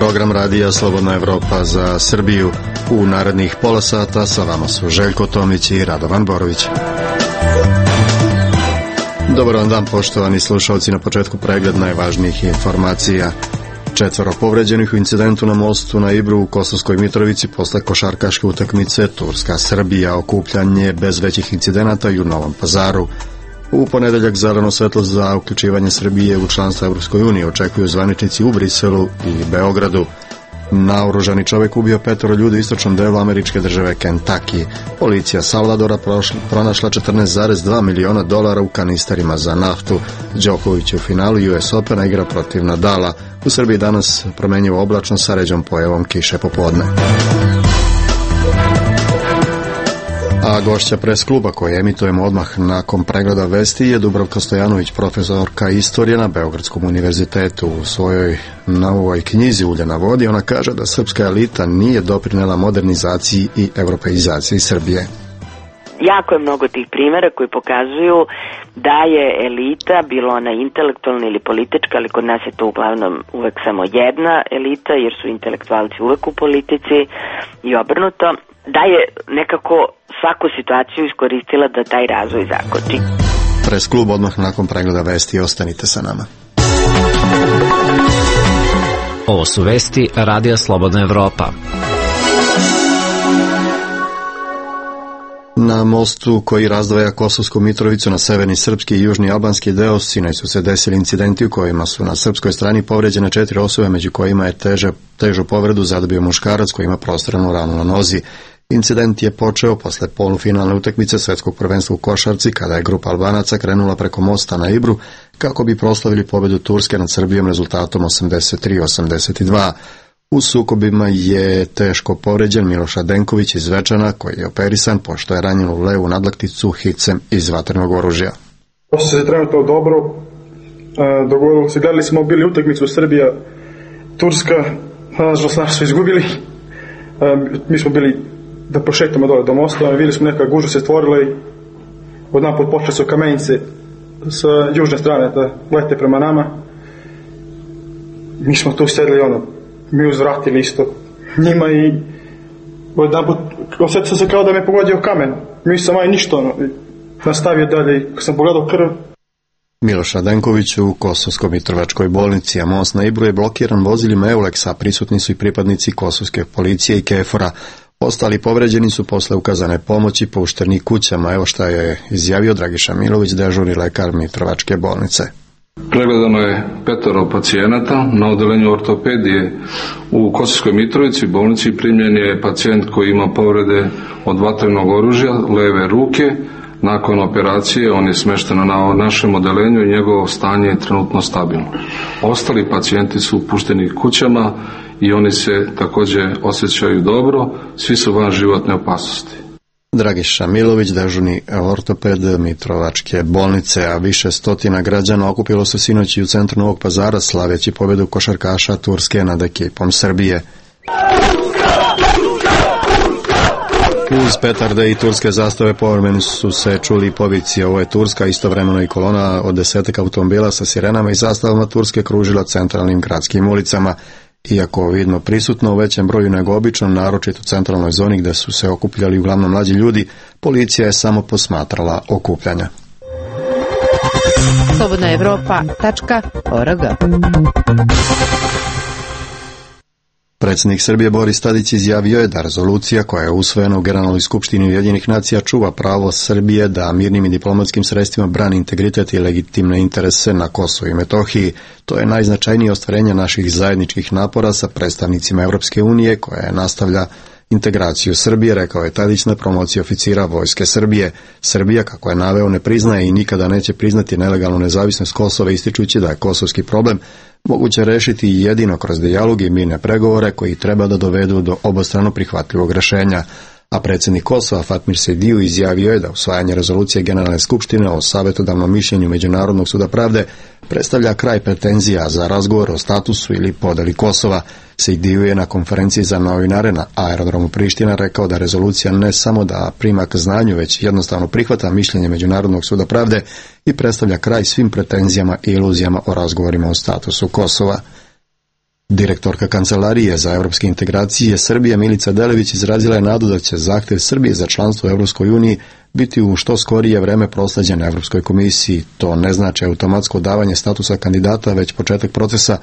program radija Slobodna Evropa za Srbiju. U narednih pola sata sa vama su Željko Tomić i Radovan Borović. Dobar vam dan, poštovani slušalci, na početku pregled najvažnijih informacija. 4 povređenih u incidentu na mostu na Ibru u Kosovskoj Mitrovici posle košarkaške utakmice Turska-Srbija, okupljanje bez većih incidenata i u Novom Pazaru. U ponedeljak zeleno svetlo za uključivanje Srbije u članstvo Evropskoj uniji očekuju zvaničnici u Briselu i Beogradu. Naoružani čovjek ubio 5 ljudi u istočnom delu američke države Kentucky. Policija Salvadora pronašla $14,2 miliona u kanisterima za naftu. Đoković u finalu US Opena igra protiv Nadala. U Srbiji danas promenjivo oblačno sa ređom pojavom kiše popodne. A gošća pres kluba koje emitujemo odmah nakon pregleda vesti je Dubravka Stojanović, profesorka istorije na Beogradskom univerzitetu. U svojoj novoj knjizi Ulje na vodi ona kaže da srpska elita nije doprinela modernizaciji i europeizaciji Srbije. Jako je mnogo tih primjera koji pokazuju da je elita, bilo ona intelektualna ili politička, ali kod nas je to uglavnom uvek samo jedna elita, jer su intelektualci uvek u politici i obrnuto, da je nekako svaku situaciju iskoristila da taj razvoj zakoči. Pres klub odmah nakon pregleda vesti, ostanite sa nama. Ovo su vesti Radija Slobodna Evropa. Na mostu koji razdvaja Kosovsku Mitrovicu na severni srpski i južni albanski deo sinoć su se desili incidenti u kojima su na srpskoj strani povređene 4 osobe, među kojima je težu povredu zadobio muškarac koji ima prostranu ranu na nozi. Incident je počeo posle polufinalne utakmice svetskog prvenstva u košarci, kada je grupa Albanaca krenula preko mosta na Ibru kako bi proslavili pobedu Turske nad Srbijom rezultatom 83-82. U sukobima je teško povređen Miloš Adenković iz Zvečana, koji je operisan pošto je ranjen u levu nadlakticu hicem iz vatrenog oružja. Osjeća se trenutno dobro. Dogovorili se, gledali smo bili utakmicu Srbija-Turska, nažalost su izgubili. Mi smo bili da prošetamo dole do mosta, vidjeli smo neka gužva se stvorila i odnaput počeli su kamenice sa južne strane da lete prema nama. Mi smo tu sedeli, mi uzvratili isto njima i odnaput osjetio se kao da me pogodio kamen. Mi sam ništa, nastavio dalje, kad sam pogledao krv. Miloš Adenković u Kosovsko-Mitrovačkoj bolnici, a most na Ibru je blokiran vozilima Euleksa, prisutni su i pripadnici kosovske policije i KFOR-a. Ostali povređeni su posle ukazane pomoći pušteni kućama, evo šta je izjavio Dragiša Milović, dežurni lekar Mitrovačke bolnice. Pregledano je 5 pacijenata na odelenju ortopedije u Kosovskoj Mitrovici bolnici. Primljen je pacijent koji ima povrede od vatrenog oružja leve ruke. Nakon operacije on je smešten na našem odelenju i njegovo stanje je trenutno stabilno. Ostali pacijenti su pušteni kućama i oni se također osjećaju dobro, svi su van životne opasnosti. Dragiša Milović, dežurni ortoped Mitrovačke bolnice, a više stotina građana okupilo se sinoć u centru Novog Pazara slaveći pobedu košarkaša Turske nad ekipom Srbije. Uz petarde i turske zastave povremeno su se čuli povici "ovo je Turska", istovremeno i kolona od 10 automobila sa sirenama i zastavama Turske kružila centralnim gradskim ulicama. Iako vidno prisutno u većem broju nego obično, naročito u centralnoj zoni gde su se okupljali uglavnom mlađi ljudi, policija je samo posmatrala okupljanja. slobodnaevropa.org. Predsjednik Srbije Boris Tadić izjavio je da rezolucija koja je usvojena u Generalnoj skupštini Ujedinjenih nacija čuva pravo Srbije da mirnim i diplomatskim sredstvima brani integritet i legitimne interese na Kosovu i Metohiji. To je najznačajnije ostvarenje naših zajedničkih napora sa predstavnicima Evropske unije koja nastavlja integraciju Srbije, rekao je Tadić na promociji oficira Vojske Srbije. Srbija, kako je naveo, ne priznaje i nikada neće priznati nelegalnu nezavisnost Kosova, ističući da je kosovski problem moguće rešiti jedino kroz dijalog i mirne pregovore koji treba da dovedu do obostrano prihvatljivog rešenja. A predsjednik Kosova Fatmir Sejdiu izjavio je da usvajanje rezolucije Generalne skupštine o savjetodavnom mišljenju Međunarodnog suda pravde predstavlja kraj pretenzija za razgovor o statusu ili podeli Kosova. Sejdiu je na konferenciji za novinare na aerodromu Priština rekao da rezolucija ne samo da prima k znanju, već jednostavno prihvata mišljenje Međunarodnog suda pravde i predstavlja kraj svim pretenzijama i iluzijama o razgovorima o statusu Kosova. Direktorka Kancelarije za evropske integracije Srbije Milica Delević izrazila je nadu da će zahtev Srbije za članstvo u Evropskoj uniji biti u što skorije vreme prosleđen Evropskoj komisiji. To ne znači automatsko davanje statusa kandidata, već početak procesa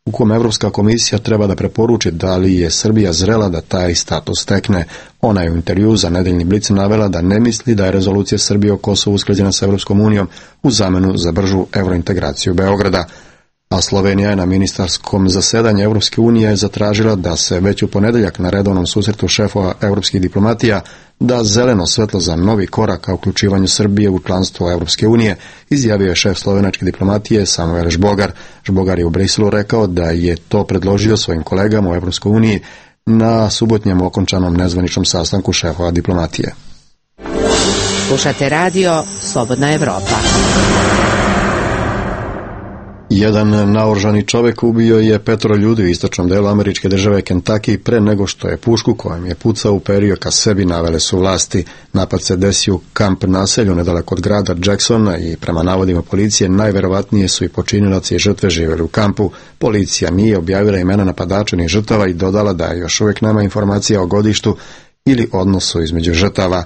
u kom Evropska komisija treba da preporuči da li je Srbija zrela da taj status stekne. Ona je u intervju za Nedeljni Blic navela da ne misli da je rezolucija Srbije o Kosovu usklađena sa Evropskom unijom u zamenu za bržu evrointegraciju Beograda. A Slovenija je na ministarskom zasedanju Evropske unije zatražila da se već u ponedeljak na redovnom susretu šefova evropskih diplomatija da zeleno svetlo za novi korak ka uključivanju Srbije u članstvo Evropske unije, izjavio je šef slovenačke diplomatije Samuel Žbogar. Žbogar je u Briselu rekao da je to predložio svojim kolegama u Evropskoj uniji na subotnjem okončanom nezvaničnom sastanku šefova diplomatije. Slušate radio Slobodna Evropa. Jedan naoružani čovjek ubio je 5 ljudi u istočnom delu američke države Kentucky pre nego što je pušku kojom je pucao uperio ka sebi, navele su vlasti. Napad se desio u kamp naselju nedaleko od grada Jacksona i prema navodima policije najverovatnije su i počinilaci i žrtve živjeli u kampu. Policija nije objavila imena napadača ni žrtava i dodala da još uvijek nema informacija o godištu ili odnosu između žrtava.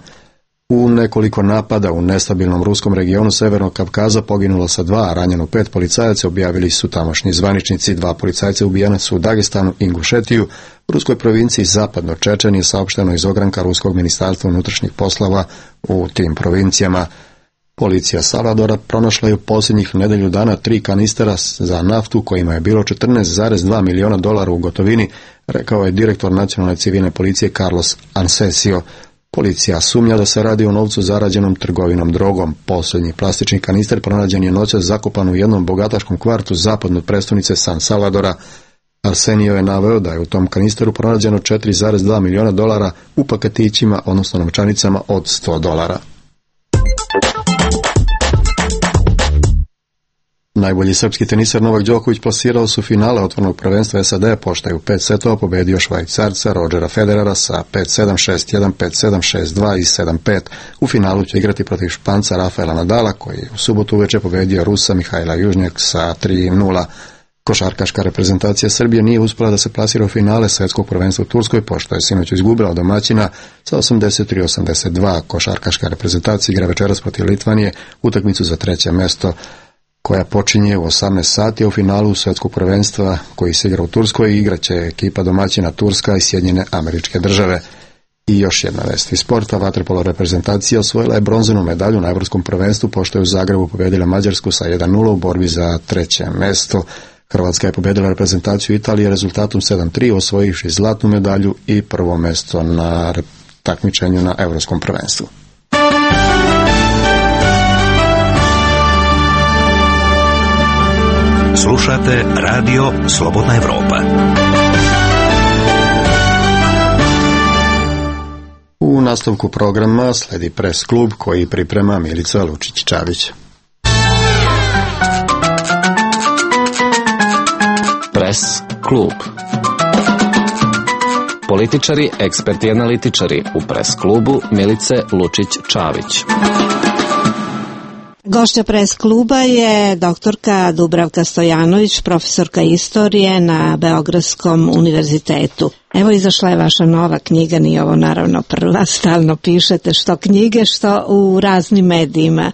U nekoliko napada u nestabilnom ruskom regionu Severnog Kavkaza poginulo sa 2, a ranjeno 5 policajaca, objavili su tamošnji zvaničnici. 2 policajca ubijena su u Dagestanu i Ingušetiju. U ruskoj provinciji Zapadno Čečen je saopšteno iz ogranka Ruskog ministarstva unutrašnjih poslova u tim provincijama. Policija Salvadora pronašla je u posljednjih nedelju dana 3 kanistera za naftu kojima je bilo $14,2 miliona u gotovini, rekao je direktor nacionalne civilne policije Carlos Ansesio. Policija sumnja da se radi o novcu zarađenom trgovinom drogom. Posljednji plastični kanister pronađen je noćas zakopan u jednom bogataškom kvartu zapadno od prestonice San Salvadora. Arsenio je naveo da je u tom kanisteru pronađeno $4,2 miliona u paketićima, odnosno novčanicama od $100. Najbolji srpski teniser Novak Đoković plasirao su finale otvorenog prvenstva SAD, pošto je u 5 setova pobedio Švajcarca Rodgera Federera sa 5-7, 6-1, 5-7, 6-2 i 7-5. U finalu će igrati protiv Španca Rafaela Nadala, koji je u subotu uveče pobedio Rusa Mihajla Južnjak sa 3-0. Košarkaška reprezentacija Srbije nije uspela da se plasira u finale svetskog prvenstva u Turskoj, pošto je sinoć izgubila od domaćina sa 83-82. Košarkaška reprezentacija igra večeras protiv Litvanije utakmicu za 3. mesto, koja počinje u 18 sati, a u finalu svetskog prvenstva koji se igra u Turskoj igraće ekipa domaćina Turska i Sjedinjene Američke Države. I još jedna vest iz sporta, vaterpolo reprezentacija osvojila je bronzanu medalju na Evropskom prvenstvu, pošto je u Zagrebu pobedila Mađarsku sa 1-0 u borbi za 3. mesto. Hrvatska je pobedila reprezentaciju Italije rezultatom 7-3, osvojivši zlatnu medalju i 1. mesto na takmičenju na Evropskom prvenstvu. Slušate radio Slobodna Evropa. U nastavku programa sledi Pres klub koji priprema Milica Lučić-Čavić. Pres klub. Političari, eksperti i analitičari u Pres klubu Milice Lučić-Čavić. Gošća Pres kluba je doktorka Dubravka Stojanović, profesorka istorije na Beogradskom univerzitetu. Evo izašla je vaša nova knjiga, nije ovo naravno prva, stalno pišete što knjige, što u raznim medijima.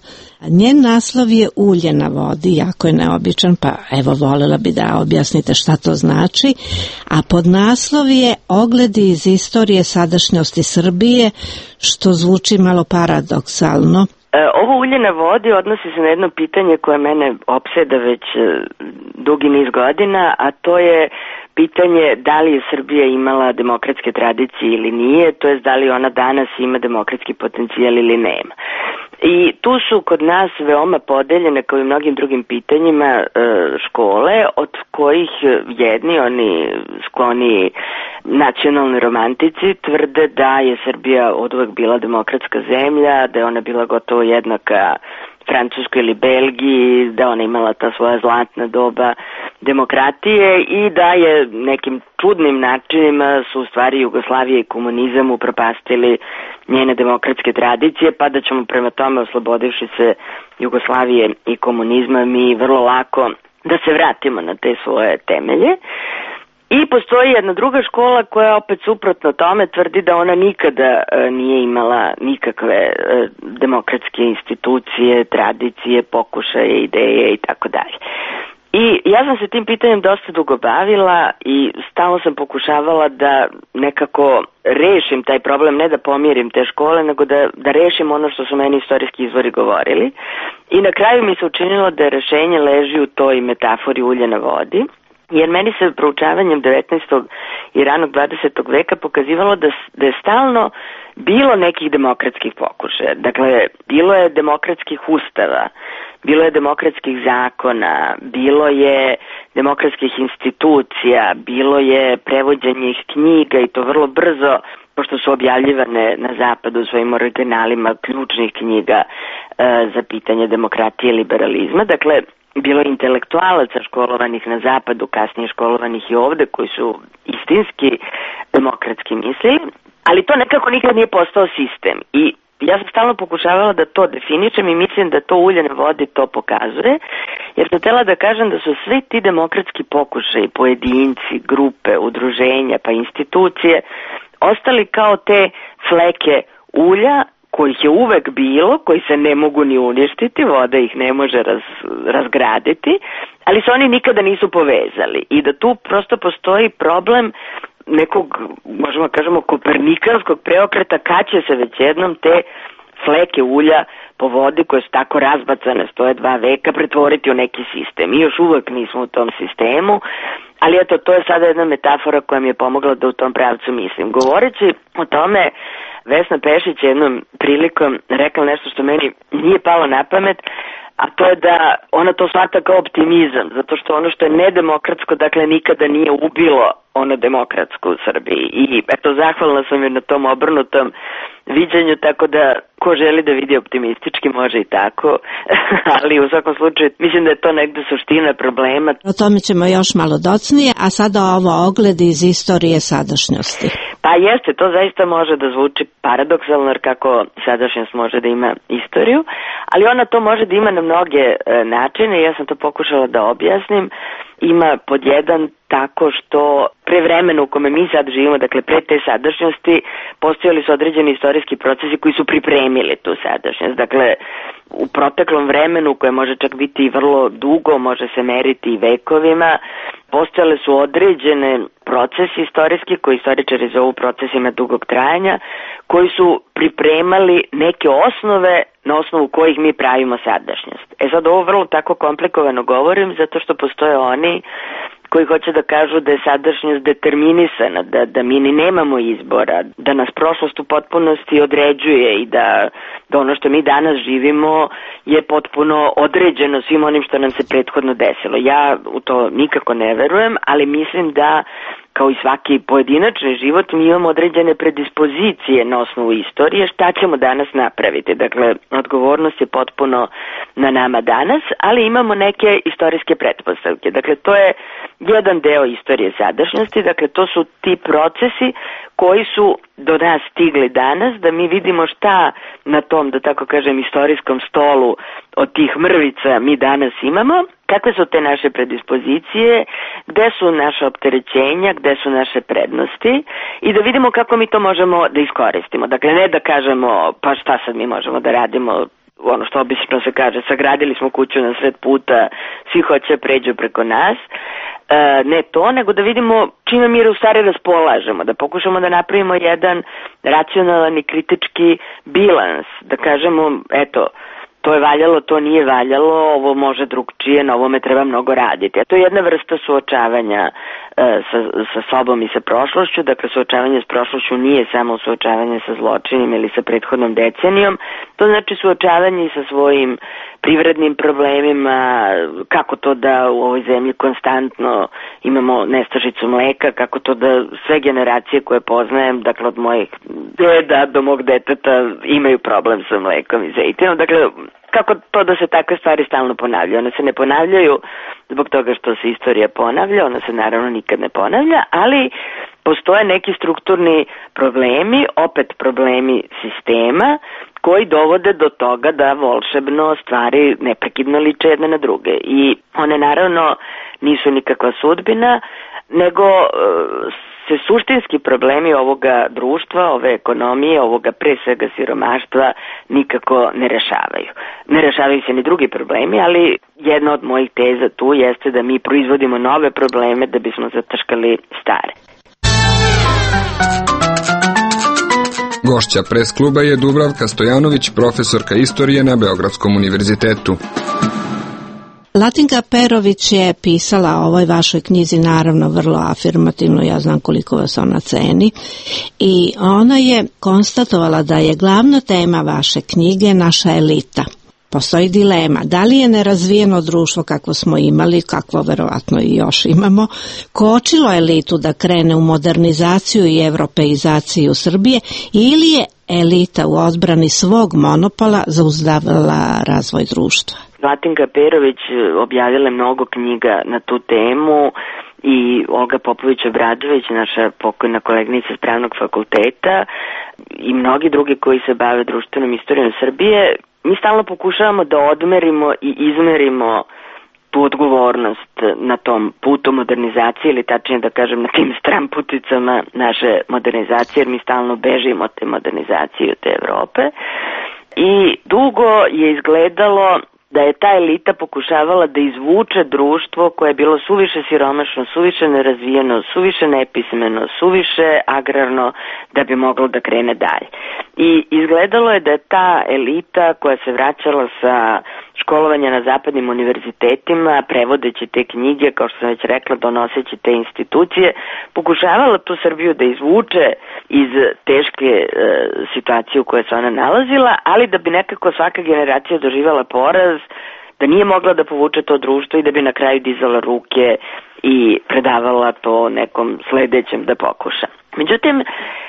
Njen naslov je Ulje na vodi, jako je neobičan, pa evo voljela bi da objasnite šta to znači, a podnaslov je Ogledi iz istorije sadašnjosti Srbije, što zvuči malo paradoksalno. Ovo ulje na vodi odnosi se na jedno pitanje koje mene opseda već dugi niz godina, a to je pitanje da li je Srbija imala demokratske tradicije ili nije, to jest da li ona danas ima demokratski potencijal ili nema. I tu su kod nas veoma podeljene, kao i mnogim drugim pitanjima, škole, od kojih jedni, oni skloni nacionalni romantici, tvrde da je Srbija oduvek bila demokratska zemlja, da je ona bila gotovo jednaka Francuskoj ili Belgiji, da ona imala ta svoja zlatna doba demokratije i da je nekim čudnim načinima su u stvari Jugoslavija i komunizam upropastili njene demokratske tradicije, pa da ćemo prema tome, oslobodivši se Jugoslavije i komunizma, mi vrlo lako da se vratimo na te svoje temelje. I postoji jedna druga škola koja opet suprotno tome tvrdi da ona nikada nije imala nikakve demokratske institucije, tradicije, pokušaje, ideje i tako dalje. I ja sam se tim pitanjem dosta dugo bavila i stalno sam pokušavala da nekako rešim taj problem, ne da pomirim te škole, nego da rešim ono što su meni istorijski izvori govorili. I na kraju mi se učinilo da rešenje leži u toj metafori ulja na vodi, jer meni se proučavanjem 19. i ranog 20. veka pokazivalo da je stalno bilo nekih demokratskih pokušaja. Dakle, bilo je demokratskih ustava, bilo je demokratskih zakona, bilo je demokratskih institucija, bilo je prevođenje knjiga i to vrlo brzo, pošto su objavljivane na zapadu u svojim originalima ključnih knjiga za pitanje demokratije i liberalizma. Dakle, bilo je intelektualaca školovanih na zapadu, kasnije školovanih i ovde, koji su istinski demokratski mislili, ali to nekako nikad nije postao sistem. I ja sam stalno pokušavala da to definišem i mislim da to ulje na vodi to pokazuje, jer sam htela da kažem da su svi ti demokratski pokušaji, pojedinci, grupe, udruženja pa institucije ostali kao te fleke ulja kojih je uvek bilo, koji se ne mogu ni uništiti, voda ih ne može razgraditi, ali se oni nikada nisu povezali i da tu prosto postoji problem nekog, možemo kažemo, kopernikanskog preokreta, kad će se već jednom te fleke ulja po vodi koje su tako razbacane, stoje 2 veka, pretvoriti u neki sistem. Mi još uvek nismo u tom sistemu, ali eto, to je sada jedna metafora koja mi je pomogla da u tom pravcu mislim. Govoreći o tome, Vesna Pešić je jednom prilikom rekla nešto što meni nije palo na pamet, a to je da ona to shvata kao optimizam, zato što ono što je nedemokratsko, dakle, nikada nije ubilo ono demokratsko u Srbiji. I eto, zahvalna sam joj na tom obrnutom viđenju, tako da ko želi da vidi optimistički može i tako, ali u svakom slučaju mislim da je to negde suština problema. O tome ćemo još malo docnije, a sada ovo ogled iz istorije sadašnjosti. Pa jeste, to zaista može da zvuči paradoksalno, jer kako sadašnjost može da ima istoriju, ali ona to može da ima na mnoge načine i ja sam to pokušala da objasnim. Ima pod jedan tako što pre vremena u kome mi sad živimo, dakle pre te sadašnjosti, postojali su određeni istorijski procesi koji su pripremili tu sadašnjost. Dakle, u proteklom vremenu, koje može čak biti i vrlo dugo, može se meriti i vekovima, postojale su određene procesi istorijski, koji istoričari zovu procesima dugog trajanja, koji su pripremali neke osnove na osnovu kojih mi pravimo sadašnjost. Sad ovo vrlo tako komplikovano govorim, zato što postoje oni koji hoće da kažu da je sadašnjost determinisana, da mi ni nemamo izbora, da nas prošlost u potpunosti određuje i da ono što mi danas živimo je potpuno određeno svim onim što nam se prethodno desilo. Ja u to nikako ne verujem, ali mislim da kao i svaki pojedinačni život, mi imamo određene predispozicije na osnovu istorije, šta ćemo danas napraviti. Dakle, odgovornost je potpuno na nama danas, ali imamo neke istorijske pretpostavke. Dakle, to je jedan deo istorije sadašnjosti, dakle, to su ti procesi koji su do nas stigli danas, da mi vidimo šta na tom, da tako kažem, istorijskom stolu od tih mrvica mi danas imamo, kakve su te naše predispozicije, gde su naše opterećenja, gde su naše prednosti i da vidimo kako mi to možemo da iskoristimo. Dakle, ne da kažemo pa šta sad mi možemo da radimo, ono što obično se kaže, sagradili smo kuću na sred puta, svi hoće pređu preko nas, ne to, nego da vidimo čime mi u stvari raspolažemo, da pokušamo da napravimo jedan racionalan i kritički bilans, da kažemo, eto, to je valjalo, to nije valjalo, ovo može drugčije, na ovome treba mnogo raditi. A to je jedna vrsta suočavanja sa sobom i sa prošlošću, dakle suočavanje s prošlošću nije samo suočavanje sa zločinima ili sa prethodnom decenijom, to znači suočavanje i sa svojim privrednim problemima, kako to da u ovoj zemlji konstantno imamo nestašicu mleka, kako to da sve generacije koje poznajem, dakle od mojih deda do mog deteta, imaju problem sa mlekom i zejtinom, dakle kako to da se takve stvari stalno ponavljaju. One se ne ponavljaju zbog toga što se istorija ponavlja, ona se naravno nikad ne ponavlja, ali postoje neki strukturni problemi, opet problemi sistema, koji dovode do toga da volšebno stvari neprekidno liče jedne na druge. I one naravno nisu nikakva sudbina, nego se suštinski problemi ovoga društva, ove ekonomije, ovoga pre svega siromaštva nikako ne rešavaju. Ne rešavaju se ni drugi problemi, ali jedna od mojih teza tu jeste da mi proizvodimo nove probleme da bismo zataškali stare. Gošća pres kluba je Dubravka Stojanović, profesorka istorije na Beogradskom univerzitetu. Latinka Perović je pisala o ovoj vašoj knjizi, naravno vrlo afirmativno, ja znam koliko vas ona ceni, i ona je konstatovala da je glavna tema vaše knjige naša elita. Postoji dilema, da li je nerazvijeno društvo kakvo smo imali, kakvo verovatno i još imamo, kočilo elitu da krene u modernizaciju i evropeizaciju Srbije, ili je elita u odbrani svog monopola zauzdavala razvoj društva? Latinka Perović objavila je mnogo knjiga na tu temu i Olga Popović-Obradović, naša pokojna koleginica s Pravnog fakulteta, i mnogi drugi koji se bave društvenom istorijom Srbije. Mi stalno pokušavamo da odmerimo i izmerimo tu odgovornost na tom putu modernizacije, ili tačnije da kažem na tim stramputicama naše modernizacije, jer mi stalno bežimo od te modernizacije, od te Evrope. I dugo je izgledalo da je ta elita pokušavala da izvuče društvo koje je bilo suviše siromašno, suviše nerazvijeno, suviše nepismeno, suviše agrarno, da bi moglo da krene dalje. I izgledalo je da je ta elita koja se vraćala sa školovanja na zapadnim univerzitetima, prevodeći te knjige, kao što sam već rekla, donoseći te institucije, pokušavala tu Srbiju da izvuče iz teške situacije u kojoj se ona nalazila, ali da bi nekako svaka generacija doživjela poraz, da nije mogla da povuče to društvo i da bi na kraju dizala ruke i predavala to nekom sledećem da pokuša. Međutim,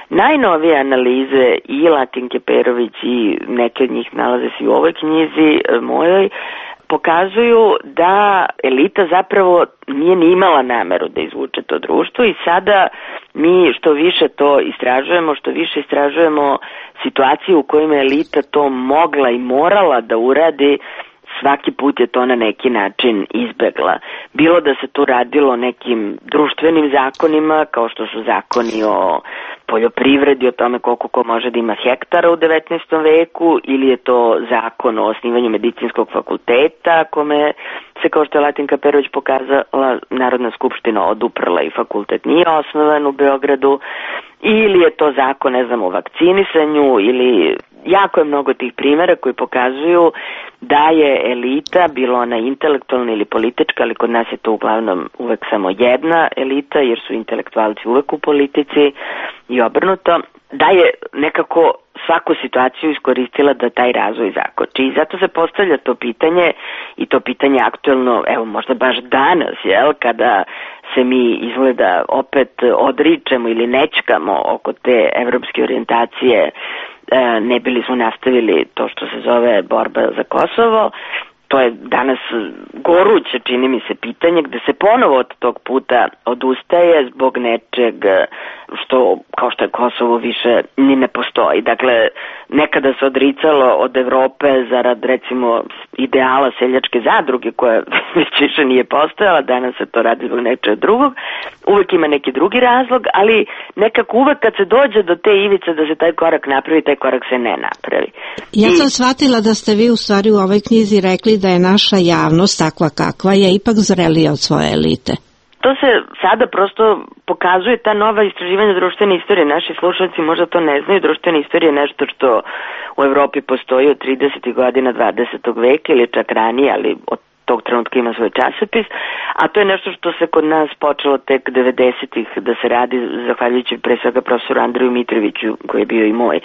najnovije analize i Latinke Perović i neke od njih nalaze se i u ovoj knjizi mojoj, pokazuju da elita zapravo nije ni imala nameru da izvuče to društvo i sada mi što više to istražujemo, što više istražujemo situacije u kojima je elita to mogla i morala da uradi, svaki put je to na neki način izbegla. Bilo da se tu radilo nekim društvenim zakonima, kao što su zakoni o poljoprivredi, o tome koliko ko može da ima hektara u 19. veku, ili je to zakon o osnivanju medicinskog fakulteta, kome se, kao što je Latinka Perović pokazala, Narodna skupština oduprla i fakultet nije osnovan u Beogradu, ili je to zakon, ne znam, o vakcinisanju, ili jako je mnogo tih primjera koji pokazuju da je elita, bilo ona intelektualna ili politička, ali kod nas je to uglavnom uvek samo jedna elita, jer su intelektualci uvek u politici i obrnuto, da je nekako svaku situaciju iskoristila da taj razvoj zakoči. I zato se postavlja to pitanje, i to pitanje aktuelno, evo možda baš danas, jel, kada se mi izgleda opet odričemo ili nečkamo oko te evropske orijentacije, ne bili smo nastavili to što se zove borba za Kosovo. To je danas goruće, čini mi se, pitanje gde se ponovo od tog puta odustaje zbog nečeg što, kao što je Kosovo, više ni ne postoji. Dakle, nekada se odricalo od Evrope zarad, recimo, ideala seljačke zadruge koja već više nije postojala, danas se to radi zbog nečeg drugog. Uvek ima neki drugi razlog, ali nekako uvek kad se dođe do te ivice da se taj korak napravi, taj korak se ne napravi. Ja sam shvatila da ste vi u stvari u ovoj knjizi rekli da je naša javnost takva kakva je ipak zrelija od svoje elite. To se sada prosto pokazuje, ta nova istraživanja društvene istorije. Naši slušalci možda to ne znaju, društvena istorija je nešto što u Evropi postoji od 30. godina 20. veka ili čak ranije, ali od tog trenutka ima svoj časopis, a to je nešto što se kod nas počelo tek 90-ih da se radi, zahvaljujući pre svega profesoru Andreju Mitroviću, koji je bio i moj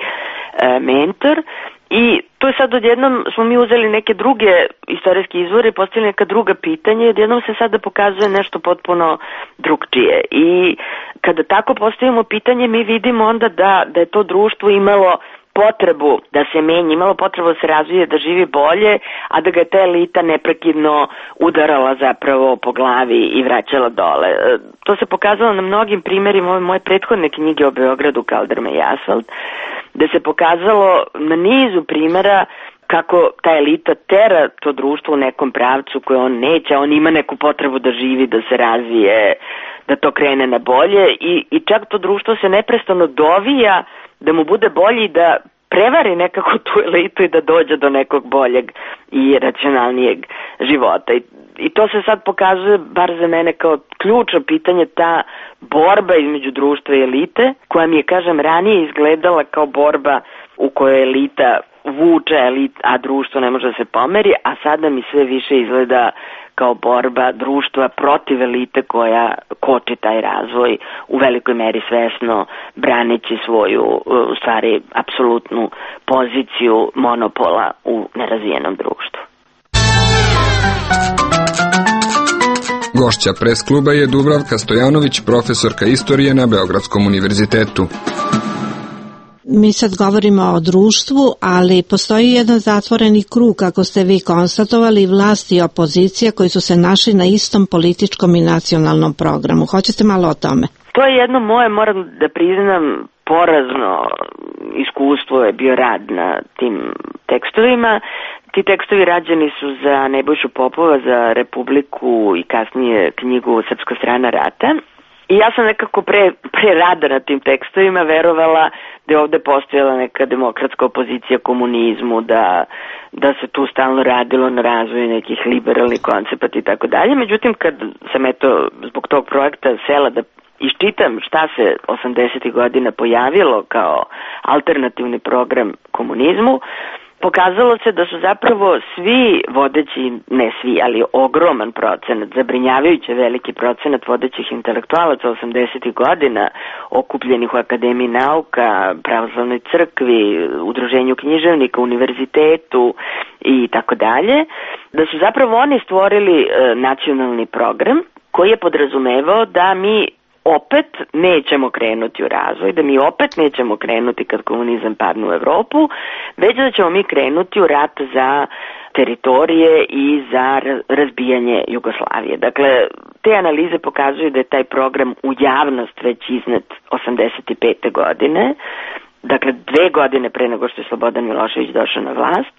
mentor. I to je sad odjednom smo mi uzeli neke druge istorijske izvore i postavili neka druga pitanja i odjednom se sada pokazuje nešto potpuno drugčije. I kada tako postavimo pitanje, mi vidimo onda da je to društvo imalo potrebu da se menja, imalo potrebu da se razvije, da živi bolje, a da ga je ta elita neprekidno udarala zapravo po glavi i vraćala dole. To se pokazalo na mnogim primjerima ove moje prethodne knjige o Beogradu, Kaldrma i asfalt, da se pokazalo na nizu primjera kako ta elita tera to društvo u nekom pravcu koje on neće, on ima neku potrebu da živi, da se razvije, da to krene na bolje i čak to društvo se neprestano dovija da mu bude bolji, da prevari nekako tu elitu i da dođe do nekog boljeg i racionalnijeg života. I to se sad pokazuje, bar za mene, kao ključno pitanje, ta borba između društva i elite, koja mi je, kažem, ranije izgledala kao borba u kojoj elita vuče, a društvo ne može da se pomeri, a sada mi sve više izgleda kao borba društva protiv elite koja koči taj razvoj u velikoj meri svesno braneći svoju, u stvari, apsolutnu poziciju monopola u nerazvijenom društvu. Gošća Pres kluba je Dubravka Stojanović, profesorka istorije na Beogradskom univerzitetu. Mi sad govorimo o društvu, ali postoji jedan zatvoreni krug, kako ste vi konstatovali, vlasti i opozicija koji su se našli na istom političkom i nacionalnom programu. Hoćete malo o tome? To je jedno moje, moram da priznam, porazno iskustvo je bio rad na tim tekstovima. Ti tekstovi rađeni su za Nebojšu Popova, za Republiku i kasnije knjigu Srpska strana rata. I ja sam nekako pre rada na tim tekstovima verovala da je ovde postojala neka demokratska opozicija komunizmu, da se tu stalno radilo na razvoju nekih liberalnih koncepata i tako dalje. Međutim, kad sam zbog tog projekta sela da iščitam šta se 80. godina pojavilo kao alternativni program komunizmu, pokazalo se da su zapravo svi vodeći, ne svi, ali ogroman procenat, zabrinjavajuće veliki procenat vodećih intelektualaca 80. godina, okupljenih u Akademiji nauka, Pravoslavnoj crkvi, Udruženju književnika, univerzitetu i tako dalje, da su zapravo oni stvorili nacionalni program koji je podrazumevao da mi opet nećemo krenuti u razvoj, da mi opet nećemo krenuti kad komunizam padne u Evropu, već da ćemo mi krenuti u rat za teritorije i za razbijanje Jugoslavije. Dakle, te analize pokazuju da je taj program u javnost već iznet 85. godine, dakle 2 godine pre nego što je Slobodan Milošević došao na vlast,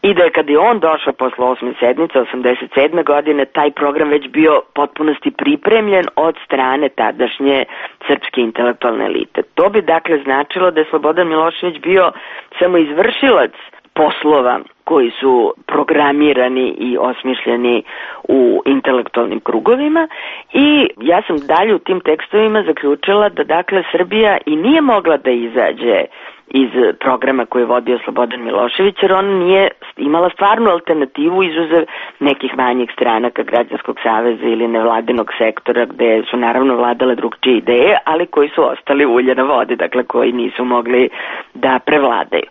i da je kad je on došao posle 8. sednice 87. godine taj program već bio potpunosti pripremljen od strane tadašnje srpske intelektualne elite. To bi dakle značilo da je Slobodan Milošević bio samo izvršilac poslova koji su programirani i osmišljeni u intelektualnim krugovima i ja sam dalje u tim tekstovima zaključila da dakle Srbija i nije mogla da izađe iz programa koji je vodio Slobodan Milošević, jer on nije imala stvarnu alternativu izuzev nekih manjih stranaka Građanskog saveza ili nevladinog sektora gde su naravno vladale drugčije ideje, ali koji su ostali ulje na vodi, dakle koji nisu mogli da prevladaju.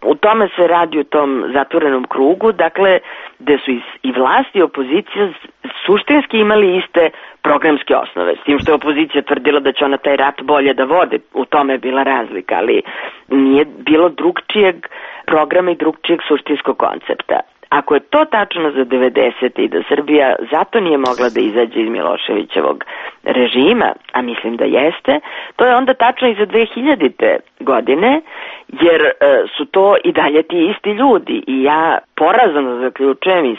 U tome se radi u tom zatvorenom krugu, dakle, gde su i vlast i opozicija suštinski imali iste programske osnove, s tim što je opozicija tvrdila da će ona taj rat bolje da vode, u tome je bila razlika, ali nije bilo drugčijeg programa i drugčijeg suštinskog koncepta. Ako je to tačno za 90. i da Srbija zato nije mogla da izađe iz Miloševićevog režima, a mislim da jeste, to je onda tačno i za 2000. godine, jer su to i dalje ti isti ljudi i ja porazno zaključujem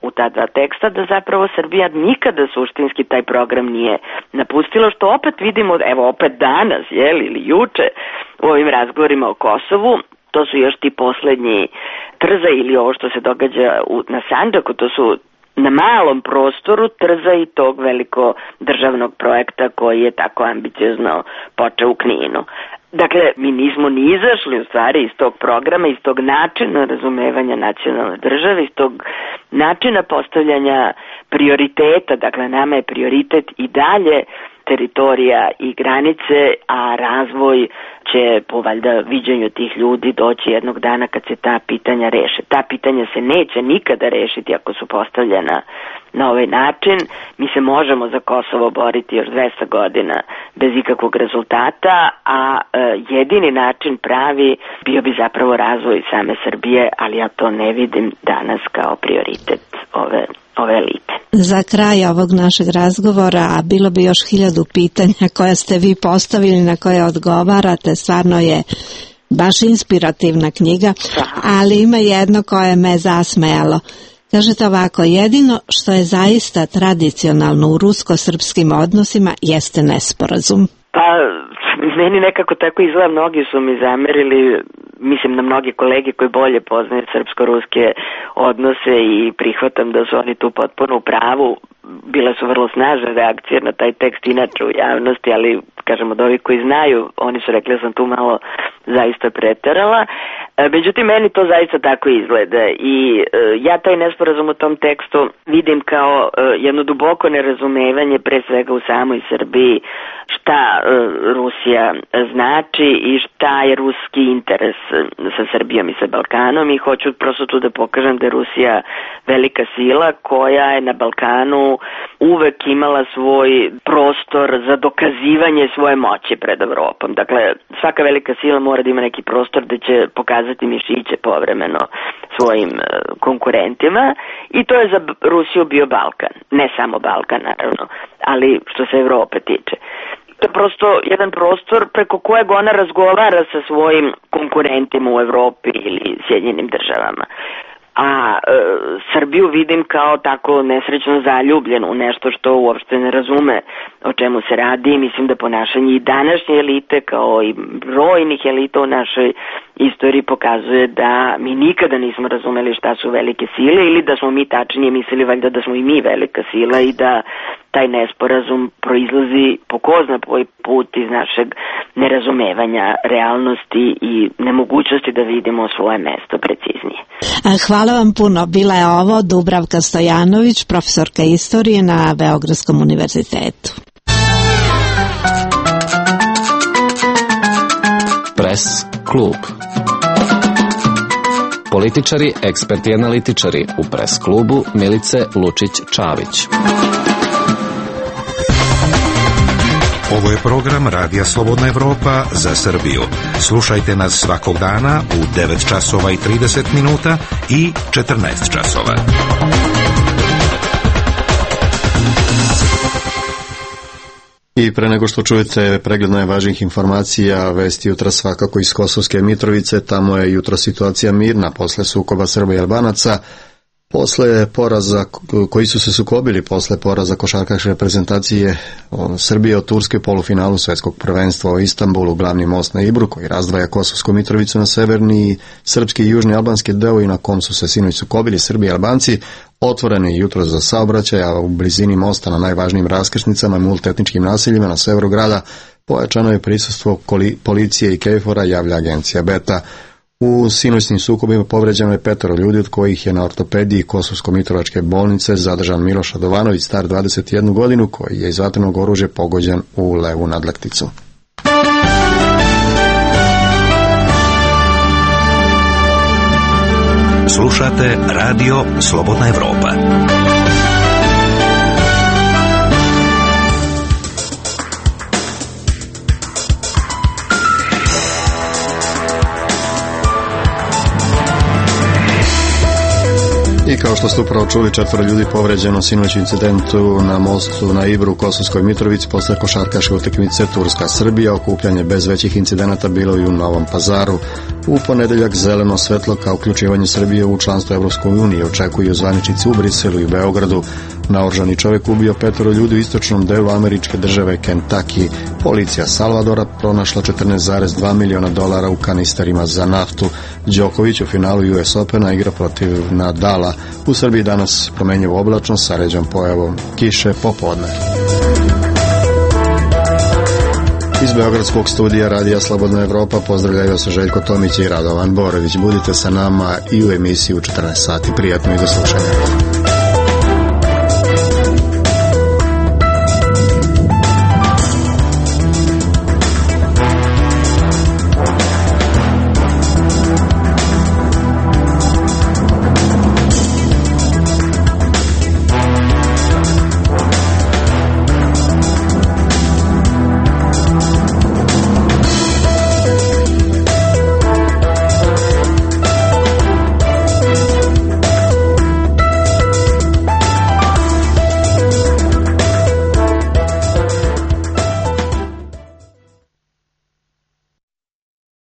u ta dva teksta da zapravo Srbija nikada suštinski taj program nije napustila, što opet vidimo, evo opet danas, ili juče u ovim razgovorima o Kosovu. To su još ti poslednji trza ili ovo što se događa na Sandžaku, to su na malom prostoru trza i tog veliko državnog projekta koji je tako ambiciozno počeo u Kninu. Dakle, mi nismo ni izašli u stvari iz tog programa, iz tog načina razumevanja nacionalne države, iz tog načina postavljanja prioriteta, dakle nama je prioritet i dalje teritorija i granice, a razvoj će po valjda viđenju tih ljudi doći jednog dana kad se ta pitanja reše. Ta pitanja se neće nikada rešiti ako su postavljena na ovaj način. Mi se možemo za Kosovo boriti još 200 godina bez ikakvog rezultata, a jedini način pravi bio bi zapravo razvoj same Srbije, ali ja to ne vidim danas kao prioritet ove elite. Za kraj ovog našeg razgovora, a bilo bi još 1000 pitanja koja ste vi postavili, na koje odgovarate, stvarno je baš inspirativna knjiga, ali ima jedno koje me zasmejalo. Kažete ovako, jedino što je zaista tradicionalno u rusko-srpskim odnosima jeste nesporazum. Pa, meni nekako tako izgleda, mnogi su mi zamerili, mislim na mnogi kolege koji bolje poznaju srpsko-ruske odnose i prihvatam da su oni tu potpuno u pravu. Bile su vrlo snažne reakcije na taj tekst inače u javnosti, ali kažem od ovih koji znaju, oni su rekli da sam tu malo zaista preterala. Međutim, meni to zaista tako izgleda i ja taj nesporazum u tom tekstu vidim kao jedno duboko nerazumevanje, pre svega u samoj Srbiji, šta Rusija znači i šta je ruski interes sa Srbijom i sa Balkanom, i hoću prosto tu da pokažem da je Rusija velika sila koja je na Balkanu uvek imala svoj prostor za dokazivanje svoje moći pred Evropom. Dakle, svaka velika sila mora da ima neki prostor da će pokazati mišiće povremeno svojim konkurentima, i to je za Rusiju bio Balkan. Ne samo Balkan, naravno, ali što se Evrope tiče. To je prosto jedan prostor preko kojeg ona razgovara sa svojim konkurentima u Evropi ili Sjedinjenim državama. A Srbiju vidim kao tako nesrećno zaljubljenu u nešto što uopšte ne razume o čemu se radi. Mislim da ponašanje i današnje elite, kao i brojnih elita u našoj istoriji, pokazuje da mi nikada nismo razumeli šta su velike sile, ili da smo mi tačnije mislili valjda da smo i mi velika sila i da taj nesporazum proizlazi po ko zna koji put iz našeg nerazumevanja realnosti i nemogućnosti da vidimo svoje mesto preciznije. Hvala vam puno. Bila je ovo Dubravka Stojanović, profesorka istorije na Beogradskom univerzitetu. Pres klub. Političari, eksperti i analitičari u Pres klubu Milice Lučić-Čavić. Ovo je program Radija Slobodna Evropa za Srbiju. Slušajte nas svakog dana u 9 časova i 30 minuta i 14 časova. I pre nego što čujete pregled najvažnijih informacija, vesti jutra svakako iz Kosovske Mitrovice. Tamo je jutro situacija mirna posle sukoba Srba i Albanaca. Posle poraza, koji su se sukobili posle poraza košarkaške reprezentacije Srbije od Turske u polufinalu svetskog prvenstva u Istanbulu, glavni most na Ibru koji razdvaja Kosovsku Mitrovicu na severni srpski i južni albanski deo i na kom su se sinoć sukobili Srbi i Albanci, otvoren je jutro za saobraćaj, a u blizini mosta na najvažnijim raskrsnicama i multietničkim naseljima na severu grada pojačano je prisustvo policije i KFOR-a, javlja agencija Beta. U sinoćnim sukobima povređeno je 5 ljudi, od kojih je na ortopediji Kosovsko-Mitrovačke bolnice zadržan Miloš Radovanović, star 21 godinu, koji je iz vatrenog oružja pogođen u levu nadlakticu. Slušate Radio Slobodna Evropa. I kao što ste upravo čuli, 4 ljudi povređeno sinoć incidentu na mostu na Ibru u Kosovskoj Mitrovici posle košarkaške utakmice Turska-Srbija. Okupljanje bez većih incidenata bilo i u Novom Pazaru. U ponedeljak zeleno svetlo ka uključivanju Srbije u članstvo Evropskoj uniji očekuju zvaničnici u Briselu i u Beogradu. Naoružani čovjek ubio 5 ljudi u istočnom delu američke države Kentucky. Policija Salvadora pronašla $14,2 miliona u kanisterima za naftu. Đoković u finalu US Opena igra protiv Nadala. U Srbiji danas promenjivo oblačno sa ređom pojavom kiše popodne. Iz Beogradskog studija Radija Slobodna Evropa pozdravljaju se Željko Tomić i Radovan Borović. Budite sa nama i u emisiji u 14 sati. Prijatno i do slušanja.